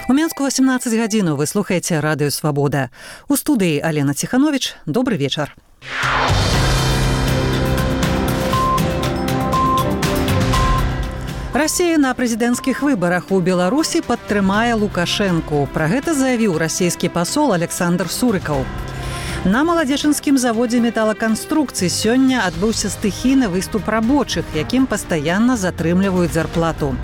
У Менску 18 гадзінаў вы слухаеце радыё «Свабода». У студыі Алена Ціханович. Добры вечар. Расія на прэзідэнцкіх выбарах у Беларусі падтрымае Лукашэнку. Пра гэта заявіў расійскі пасол Александр Сурыкаў. На маладзечынскім заводзе металаканструкцый сёння адбыўся стыхійны выступ рабочых, якім пастаянна затрымліваюць зарплату.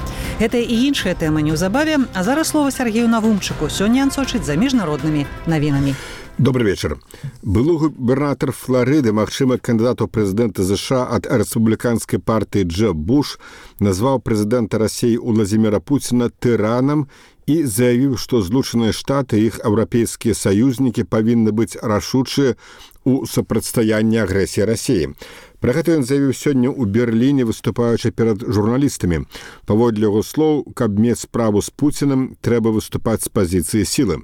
Гэта і іншыя тэмы неўзабаве, а зараз слова Сергею Навумчыку. Сёння ён сочыць за міжнароднымі навінамі. Добрый вечер. Былы губернатор Флориды, магчыма кандидат у прэзідэнта США ад рэспубліканскай партыі Джеб Буш, назваў прэзідэнта Расіі Владзіміра Пуціна тыранам і заявіў, што Злучаныя Штаты і іх еўрапейскія саюзнікі павінны быць рашучыя у супрацьстаянні агрэсіі Расіі. Пра гэта ён заявіў сёння ў Берліне, выступаючы перад журналістамі. Паводле яго слоў, каб мець справу з Пуцінам, трэба выступаць з пазіцыі сілы.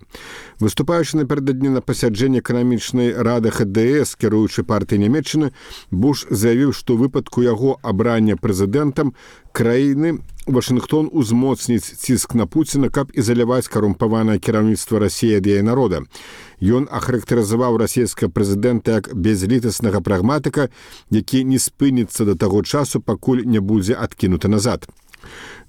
Выступаючы напярэдадні на пасяджэнні эканамічнай рады ХДС, кіруючы партыі Нямецчыны, Буш заявіў, што ў выпадку яго абрання прэзідэнтам краіны Вашынгтон узмоцніць ціск на Пуціна, каб ізаляваць карумпаванае кіраўніцтва Расіі ад яе народа. Ён ахарактарызаваў расійскага прэзідэнта як бязлітаснага прагматыка, які не спыніцца да таго часу, пакуль не будзе адкінуты назад.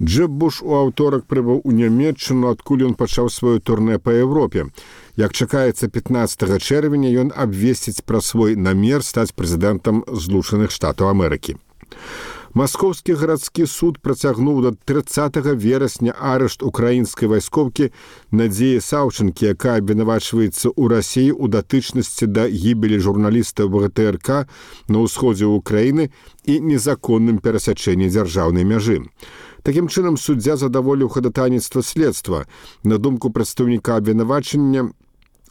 Джеб Буш у аўторак прыбыў у Нямецчыну, адкуль ён пачаў сваё турнэ па Еўропе. Як чакаецца 15 чэрвеня, ён абвесціць пра свой намер стаць прэзідэнтам Злучаных Штатаў Амерыкі. Маскоўскі гарадскі суд працягнуў да 30 верасня арышт украінскай вайскоўкі Надзеі Саўчынкі, якая абвінавачваецца ў Расіі ў датычнасці да гібелі журналіста ВГТРК на ўсходзе ўкраіны і незаконным перасячэнні дзяржаўнай мяжы. Такім чынам, суддзя задаволіў хадатайніцтва следства. На думку прадстаўніка абвінавачання,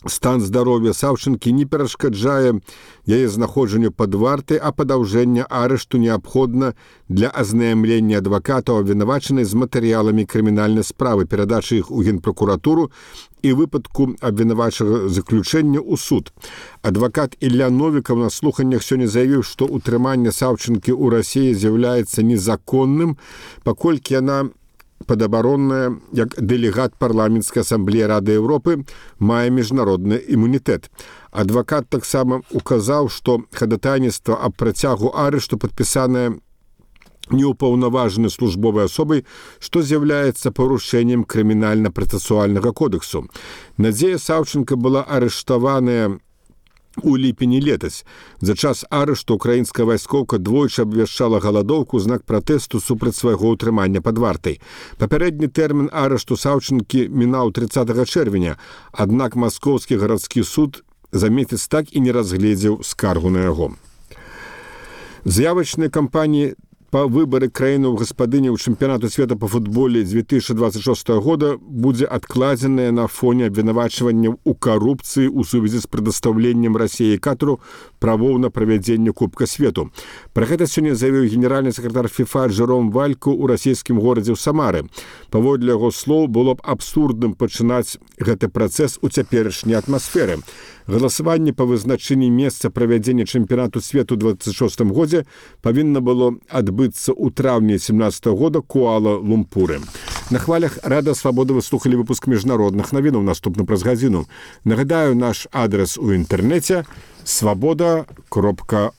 стан здароўя Саўчынкі не перашкаджае яе знаходжанню пад вартай, а падаўжэнне арышту неабходна для азнаямлення адвакатаў абвінавачанай з матэрыяламі крымінальнай справы, перадачы іх у Генпракуратуру і выпадку абвінавачага заключэння ў суд. Адвакат Ілля Новікаў на слуханнях сёння заявіў, што ўтрыманне Саўчынкі ў Расіі з'яўляецца незаконным, паколькі яна падабаронная, як дэлегат парламенцкай асамблеі Рады Еўропы, мае міжнародны імунітэт. Адвакат таксама указаў, што хадатайніцтва аб працягу арышту падпісанае неўпаўнаважанай службовай асобай, што з'яўляецца парушэннем крымінальна-працэсуальнага кодексу. Надзея Саўчынка была арыштаваная у ліпені летась. За час арышту украінская вайскоўка двойчы абвяшчала галадоўку ў знак пратэсту супраць свайго ўтрымання пад вартай. Папярэдні тэрмін арышту Саўчынкі мінаў 30 чэрвеня, аднак Маскоўскі гарадскі суд за месяц так і не разгледзеў скаргу на яго. Заявачныя кампаніі па выбары краіны ў гаспадыні ў чэмпіянату свету па футболе 2026 года будзе адкладзеная на фоне абвінавачванняў у карупцыі ў сувязі з прадастаўленнем Расіі Катару правоў на правядзенне Кубка свету. Пра гэта сёння заявіў генеральны сакратар ФІФА Джэром Вальку ў расійскім горадзе ў Самары. Паводле яго слоў, было б абсурдным пачынаць гэты працэс у цяперашняй атмасферы. Галасаванне па вызначэнні месца правядзення чэмпіянату свету ў 26 годзе павінна было адбыцца ў траўні 17 года Куала-Лумпуры. На хвалях Рада Свабоды вы слухалі выпуск міжнародных навінаў, наступна праз гадзіну. Нагадаю, наш адрес у інтэрнэце свабода.орг.